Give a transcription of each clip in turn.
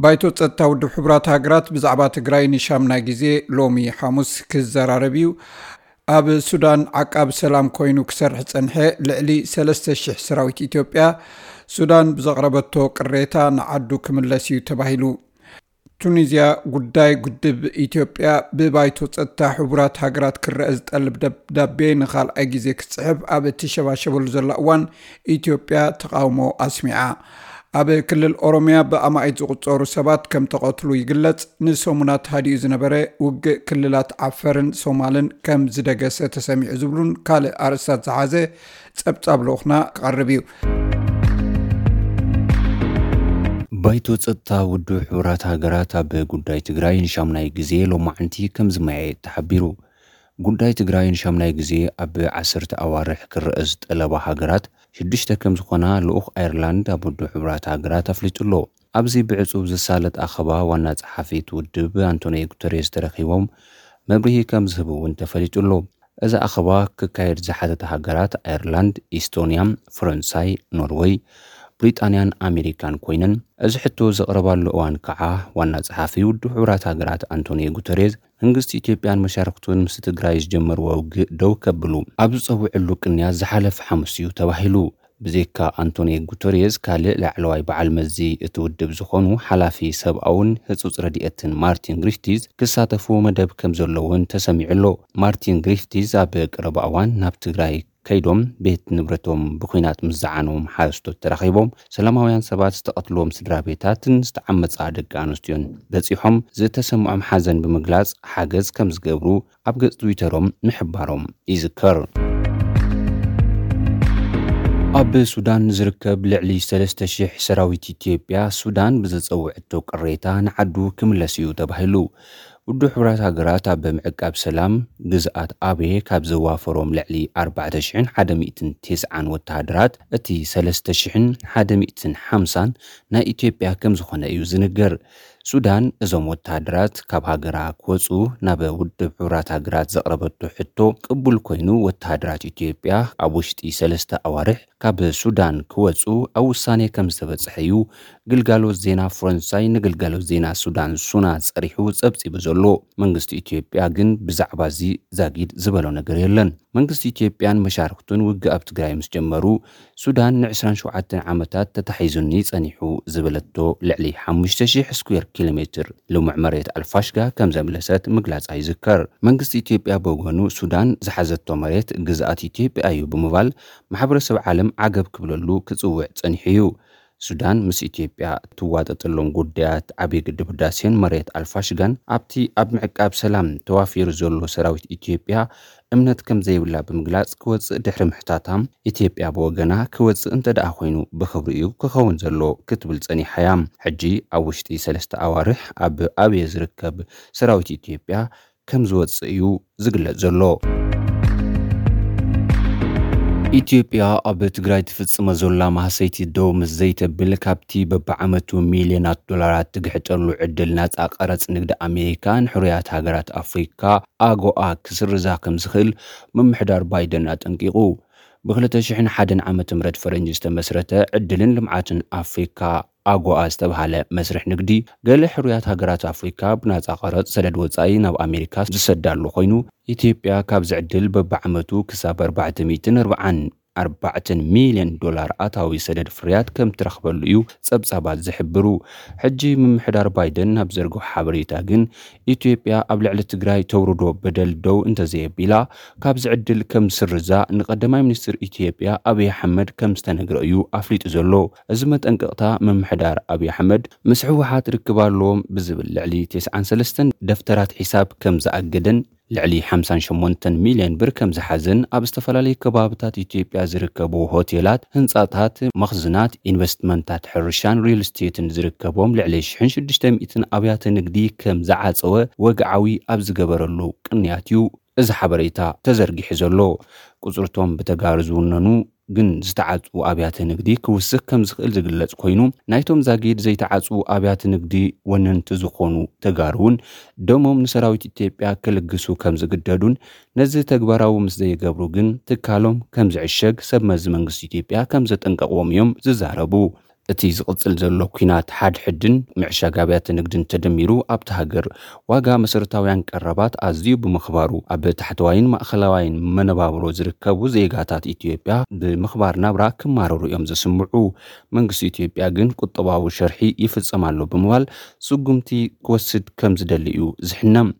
ባይቶ ጸጥታ ውድብ ሕቡራት ሃገራት ብዛዕባ ትግራይ ንሻምናይ ግዜ ሎሚ ሓሙስ ክዘራረብ እዩ። ኣብ ሱዳን ዓቃብ ሰላም ኮይኑ ክሰርሕ ጸንሐ ልዕሊ ሰለስተ ሽሕ ሰራዊት ኢትዮጵያ፣ ሱዳን ብዘቕረበቶ ቅሬታ ንዓዱ ክምለስ እዩ ተባሂሉ። ቱኒዝያ ጉዳይ ግድብ ኢትዮጵያ ብባይቶ ጸጥታ ሕቡራት ሃገራት ክረአ ዝጠልብ ደብዳቤ ንኻልኣይ ግዜ ክትጽሕፍ ኣብ እትሸባሸበሉ ዘላ እዋን፣ ኢትዮጵያ ተቓውሞ ኣስሚዓ። ኣብ ክልል ኦሮሚያ ብኣማኢት ዝቑጸሩ ሰባት ከም ተቐትሉ ይግለጽ። ንሰሙናት ሃዲኡ ዝነበረ ውግእ ክልላት ዓፈርን ሶማልን ከም ዝደገሰ ተሰሚዑ ዝብሉን ካልእ ኣርእስታት ዝሓዘ ጸብጻብ ልኡኽና ክቐርብ እዩ። ባይቶ ጸጥታ ውድብ ሕቡራት ሃገራት ኣብ ጉዳይ ትግራይ ንሻምናይ ግዜ ሎማዕንቲ ከም ዝመያየጥ ተሓቢሩ። ጉዳይ ትግራይ ንሻምናይ ግዜ ኣብ ዓሰርተ ኣዋርሕ ክረአ ዝጠለባ ሃገራት ሽዱሽተ ከም ዝኾና ልኡኽ ኣየርላንድ ኣብ ውድብ ሕቡራት ሃገራት ኣፍሊጡ ኣሎ። ኣብዚ ብዕጹብ ዝሳለጥ ኣኸባ ዋና ጸሓፊ እቲ ውድብ ኣንቶኒዮ ጉተሬዝ ተረኺቦም መብርሂ ከም ዝህቡ እውን ተፈሊጡ ኣሎ። እዚ ኣኸባ ክካየድ ዝሓተታ ሃገራት ኣየርላንድ፣ ኢስቶንያ፣ ፈረንሳይ፣ ኖርወይ፣ ብሪጣንያን ኣሜሪካን ኮይነን፣ እዚ ሕቶ ዘቕረባሉ እዋን ከዓ ዋና ጸሓፊ ውድብ ሕቡራት ሃገራት ኣንቶኒዮ ጉተሬዝ መንግስቲ ኢትዮጵያን መሻርክቱን ምስ ትግራይ ዝጀመርዎ ውግእ ደው ከብሉ ኣብ ዝጸውዕሉ ቅንያት ዝሓለፈ ሓሙስ እዩ ተባሂሉ። ብዘይካ ኣንቶኒዮ ጉተሬዝ ካልእ ላዕለዋይ በዓል መዚ እቲ ውድብ ዝኾኑ ሓላፊ ሰብኣውን ህጹጽ ረድኤትን ማርቲን ግሪፍቲዝ ክሳተፉ መደብ ከም ዘለውን ተሰሚዑ ኣሎ። ማርቲን ግሪፍቲዝ ኣብ ቀረባ እዋን ናብ ትግራይ ከይዶም ቤት ንብረቶም ብኹናት ምስ ዝዓነዎም ሓረስቶት ተራኺቦም ሰላማውያን ሰባት ዝተቐትልዎም ስድራ ቤታትን ዝተዓመጻ ደቂ ኣንስትዮን በጺሖም ዝተሰምዖም ሓዘን ብምግላጽ ሓገዝ ከም ዝገብሩ ኣብ ገጽ ትዊተሮም ምሕባሮም ይዝከር። ኣብ ሱዳን ዝርከብ ልዕሊ ሰለስተ ሽሕ ሰራዊት ኢትዮጵያ ሱዳን ብዘጸውዐቶ ቅሬታ ንዓዱ ክምለስ እዩ ተባሂሉ። ውድብ ሕቡራት ሃገራት ኣብ ምዕቃብ ሰላም ግዝኣት ኣቤ ካብ ዘዋፈሮም ልዕሊ ኣርባዕተ ሽሕን ሓደ ሚእትን ተስዓን ወተሃደራት እቲ ሰለስተ ሽሕን ሓደ ሚእትን ሓምሳን ናይ ኢትዮጵያ ከም ዝኾነ እዩ ዝንገር። ሱዳን እዞም ወተሃደራት ካብ ሃገራ ክወፁ ናብ ውድብ ሕቡራት ሃገራት ዘቕረበቶ ሕቶ ቅቡል ኮይኑ ወተሃደራት ኢትዮጵያ ኣብ ውሽጢ ሰለስተ ኣዋርሕ ካብ ሱዳን ክወፁ ኣብ ውሳኔ ከም ዝተበፅሐ እዩ ግልጋሎት ዜና ፈረንሳይ ንግልጋሎት ዜና ሱዳን ሱና ፀሪሑ ፀብፂቡ ዘሎ። መንግስቲ ኢትዮጵያ ግን ብዛዕባ እዚ ዛጊድ ዝበሎ ነገር የለን። መንግስቲ ኢትዮጵያን መሻርክቱን ውግእ ኣብ ትግራይ ምስ ጀመሩ ሱዳን ን ዕስራን ሸውዓተን ዓመታት ተታሒዙኒ ጸኒሑ ዝበለቶ ልዕሊ ሓሙሽተ ሽሕ ስኩዌር ኪሎ ሜትር ልሙዕ መሬት ኣልፋሽጋ ከም ዘምለሰት ምግላጻ ይዝከር። መንግስቲ ኢትዮጵያ ብወገኑ ሱዳን ዝሓዘቶ መሬት ግዝኣት ኢትዮጵያ እዩ ብምባል ማሕበረሰብ ዓለም ዓገብ ክብለሉ ክጽውዕ ጸኒሑ እዩ። ሱዳን ምስ ኢትዮጵያ እትዋጠጠሎም ጉዳያት ዓብዪ ግድብ ህዳሴን መሬት ኣልፋሽጋን ኣብቲ ኣብ ምዕቃብ ሰላም ተዋፊሩ ዘሎ ሰራዊት ኢትዮጵያ እምነት ከም ዘይብላ ብምግላጽ ክወጽእ ድሕሪ ምሕታታ፣ ኢትዮጵያ ብወገና ክወጽእ እንተ ደኣ ኮይኑ ብኽብሪ እዩ ክኸውን ዘሎ ክትብል ጸኒሓ እያ። ሕጂ ኣብ ውሽጢ ሰለስተ ኣዋርሕ ኣብ ኣብየ ዝርከብ ሰራዊት ኢትዮጵያ ከም ዝወጽእ እዩ ዝግለጽ ዘሎ። ኢትዮጵያ ኣብ ትግራይ ትፍጽሞ ዘላ ማህሰይቲ ደው ምስ ዘይተብል ካብቲ በብዓመቱ ሚልዮናት ዶላራት ትግሕጠሉ ዕድል ናጻ ቀረጽ ንግዲ ኣሜሪካ ንሕሩያት ሃገራት ኣፍሪካ ኣጎኣ ክስርዛ ከም ዝኽእል ምምሕዳር ባይደን ኣጠንቂቑ። ብ ክልተ ሽሕን ሓደን ዓመተ ምህረት ፈረንጂ ዝተመስረተ ዕድልን ልምዓትን ኣፍሪካ ኣጎኣ ዝተብሃለ መስርሕ ንግዲ ገለ ሕሩያት ሃገራት ኣፍሪካ ብናጻ ቀረጽ ሰደድ ወጻኢ ናብ ኣሜሪካ ዝሰዳሉ ኮይኑ ኢትዮጵያ ካብዚ ዕድል በብዓመቱ ክሳብ ኣርባዕተ ሚእትን ኣርባዓን ኣርባዕተን ሚልዮን ዶላር ኣታዊ ሰደድ ፍርያት ከም ትረኽበሉ እዩ ጸብጻባት ዝሕብሩ። ሕጂ ምምሕዳር ባይደን ናብ ዘርግሖ ሓበሬታ ግን ኢትዮጵያ ኣብ ልዕሊ ትግራይ ተውርዶ በደል ደው እንተዘየቢላ ካብዚ ዕድል ከም ዝስርዛ ንቀዳማይ ሚኒስትር ኢትዮጵያ ኣብይ ኣሕመድ ከም ዝተነግረ እዩ ኣፍሊጡ ዘሎ። እዚ መጠንቀቕታ ምምሕዳር ኣብይ ኣሕመድ ምስ ህወሓት ርክብ ኣለዎም ብዝብል ልዕሊ ተስዓን ሰለስተን ደፍተራት ሒሳብ ከም ዝኣገደን ልዕሊ ሓምሳን ሸሞንተን ሚልዮን ብር ከም ዝሓዘን ኣብ ዝተፈላለዩ ከባብታት ኢትዮጵያ ዝርከቡ ሆቴላት፣ ህንፃታት፣ መኽዝናት፣ ኢንቨስትመንታት ሕርሻን ሪል ስቴትን ዝርከቦም ልዕሊ ሽሕን ሽዱሽተ ሚእትን ኣብያተ ንግዲ ከም ዝዓፀወ ወግዓዊ ኣብ ዝገበረሉ ቅንያት እዩ እዚ ሓበሬታ ተዘርጊሑ ዘሎ። ቁፅርቶም ብተጋሩ ዝውነኑ ግን ዝተዓፅዉ ኣብያተ ንግዲ ክውስኽ ከም ዝኽእል ዝግለጽ ኮይኑ ናይቶም ዛጊድ ዘይተዓፅዉ ኣብያተ ንግዲ ወነንቲ ዝኾኑ ተጋሩ እውን ደሞም ንሰራዊት ኢትዮጵያ ክልግሱ ከም ዝግደዱን ነዚ ተግባራዊ ምስ ዘይገብሩ ግን ትካሎም ከም ዝዕሸግ ሰብ መዚ መንግስቲ ኢትዮጵያ ከም ዘጠንቀቕዎም እዮም ዝዛረቡ። እቲ ዝቕጽል ዘሎ ኲናት ሓድሕድን ምዕሻግ ኣብያተ ንግድን ተደሚሩ ኣብቲ ሃገር ዋጋ መሰረታውያን ቀረባት ኣዝዩ ብምኽባሩ ኣብ ታሕተዋይን ማእኸላዋይን መነባብሮ ዝርከቡ ዜጋታት ኢትዮጵያ ብምኽባር ናብራ ክማረሩ እዮም ዝስምዑ። መንግስቲ ኢትዮጵያ ግን ቁጠባዊ ሸርሒ ይፍጸም ኣሎ ብምባል ስጉምቲ ክወስድ ከም ዝደሊ እዩ ዝሕነም።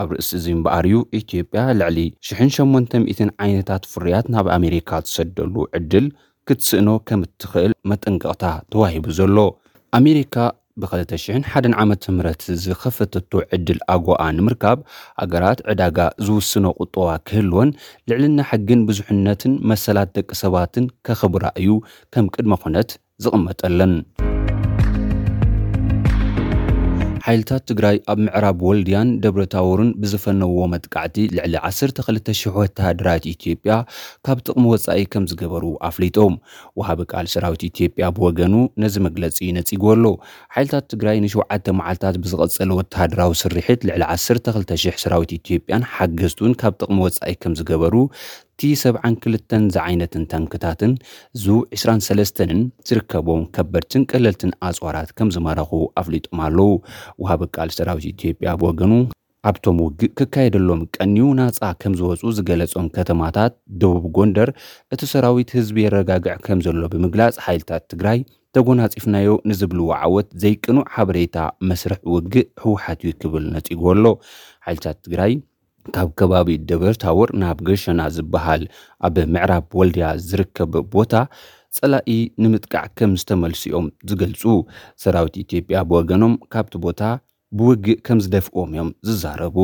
ኣብ ርእሲ እዚ እምበኣር እዩ ኢትዮጵያ ልዕሊ ሽሕን ሸሞንተ ሚእትን ዓይነታት ፍርያት ናብ ኣሜሪካ ትሰደሉ ዕድል ክትስእኖ ከም እትኽእል መጠንቀቕታ ተዋሂቡ ዘሎ። ኣሜሪካ ብ ክልተ ሽሕን ሓደን ዓመተ ምህረት ዝኸፈተቶ ዕድል ኣጎኣ ንምርካብ፣ ሃገራት ዕዳጋ ዝውስኖ ቁጠባ ክህልወን፣ ልዕልና ሕግን ብዙሕነትን መሰላት ደቂ ሰባትን ከኽብራ እዩ ከም ቅድመ ኩነት ዝቕመጠለን። ሓይልታት ትግራይ ኣብ ምዕራብ ወልድያን ደብረ ታቦርን ብዝፈነዎ መጥቃዕቲ ልዕሊ ዓሰርተ ክልተ ሽሕ ወተሃደራት ኢትዮጵያ ካብ ጥቕሚ ወጻኢ ከም ዝገበሩ ኣፍሊጦም። ወሃቢ ቃል ሰራዊት ኢትዮጵያ ብወገኑ ነዚ መግለጺ ነጺጉ ኣሎ። ሓይልታት ትግራይ ንሸውዓተ መዓልታት ብዝቐጸለ ወተሃደራዊ ስርሒት ልዕሊ ዓሰርተ ክልተ ሽሕ ሰራዊት ኢትዮጵያን ሓገዝቱን ካብ ጥቕሚ ወጻኢ ከም ዝገበሩ ቲ ሰብዓን ክልተን ዝዓይነትን ታንክታትን ዙ ዕስራን ሰለስተንን ዝርከቦም ከበድትን ቀለልትን ኣጽዋራት ከም ዝማረኹ ኣፍሊጦም ኣለዉ። ወሃቢ ቃል ሰራዊት ኢትዮጵያ ብወገኑ ኣብቶም ውግእ ክካየደሎም ቀንዩ ናጻ ከም ዝወጹ ዝገለጾም ከተማታት ደቡብ ጎንደር እቲ ሰራዊት ህዝቢ የረጋግዕ ከም ዘሎ ብምግላጽ ሓይልታት ትግራይ ተጎናጺፍናዮ ንዝብልዎ ዓወት ዘይቅኑዕ ሓበሬታ መስርሕ ውግእ ህወሓት እዩ ክብል ነጺጉ ኣሎ። ሓይልታት ትግራይ ካብ ከባቢ ደብረ ታቦር ናብ ገሸና ዝበሃል ኣብ ምዕራብ ወልድያ ዝርከብ ቦታ ጸላኢ ንምጥቃዕ ከም ዝተመልሱ እዮም ዝገልጹ። ሰራዊት ኢትዮጵያ ብወገኖም ካብቲ ቦታ ብውግእ ከም ዝደፍኦም እዮም ዝዛረቡ።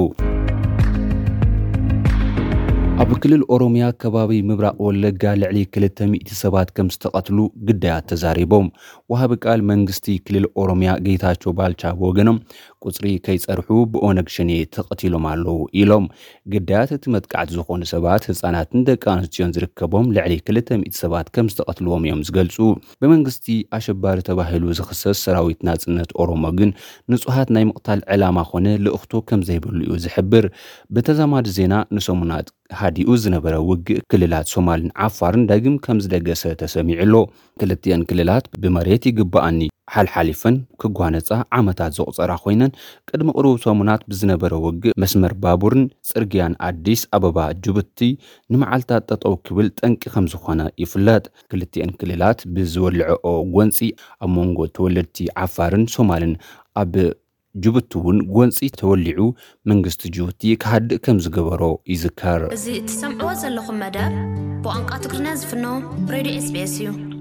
ኣብ ክልል ኦሮምያ ከባቢ ምብራቕ ወለጋ ልዕሊ ክልተ ሚእቲ ሰባት ከም ዝተቐትሉ ግዳያት ተዛሪቦም። ወሃቢ ቃል መንግስቲ ክልል ኦሮምያ ጌታቸው ባልቻ ብወገኖም ቁጽሪ ከይጸርሑ ብኦነግ ሸኔ ተቐቲሎም ኣለዉ ኢሎም። ግዳያት እቲ መጥቃዕቲ ዝኾኑ ሰባት ህጻናትን ደቂ ኣንስትዮን ዝርከቦም ልዕሊ ክልተ ሚእቲ ሰባት ከም ዝተቐትልዎም እዮም ዝገልጹ። ብመንግስቲ ኣሸባሪ ተባሂሉ ዝኽሰስ ሰራዊት ናጽነት ኦሮሞ ግን ንጹሃት ናይ ምቕታል ዕላማ ኮነ ልእኽቶ ከም ዘይብሉ እዩ ዝሕብር። ብተዛማዲ ዜና ንሰሙናት ሃዲኡ ዝነበረ ውግእ ክልላት ሶማልን ዓፋርን ዳግም ከም ዝደገሰ ተሰሚዑ ኣሎ። ክልቲአን ክልላት ብመሬት ይግባኣኒ ሓልሓሊፈን ክጓነጻ ዓመታት ዘቑጸራ ኮይነን ቅድሚ ቅሩብ ሰሙናት ብዝነበረ ውግእ መስመር ባቡርን ጽርግያን ኣዲስ ኣበባ ጅቡቲ ንመዓልታት ጠጠው ክብል ጠንቂ ከም ዝኾነ ይፍለጥ። ክልቲአን ክልላት ብዝወልዐኦ ጎንጺ ኣብ መንጎ ተወለድቲ ዓፋርን ሶማልን ኣብ ጅቡቲ እውን ጎንጺ ተወሊዑ መንግስቲ ጅቡቲ ክሃድእ ከም ዝገበሮ ይዝከር። እዚ እትሰምዕዎ ዘለኹም መደብ ብቋንቋ ትግርኛ ዝፍኖ ሬድዮ ኤስቢኤስ እዩ።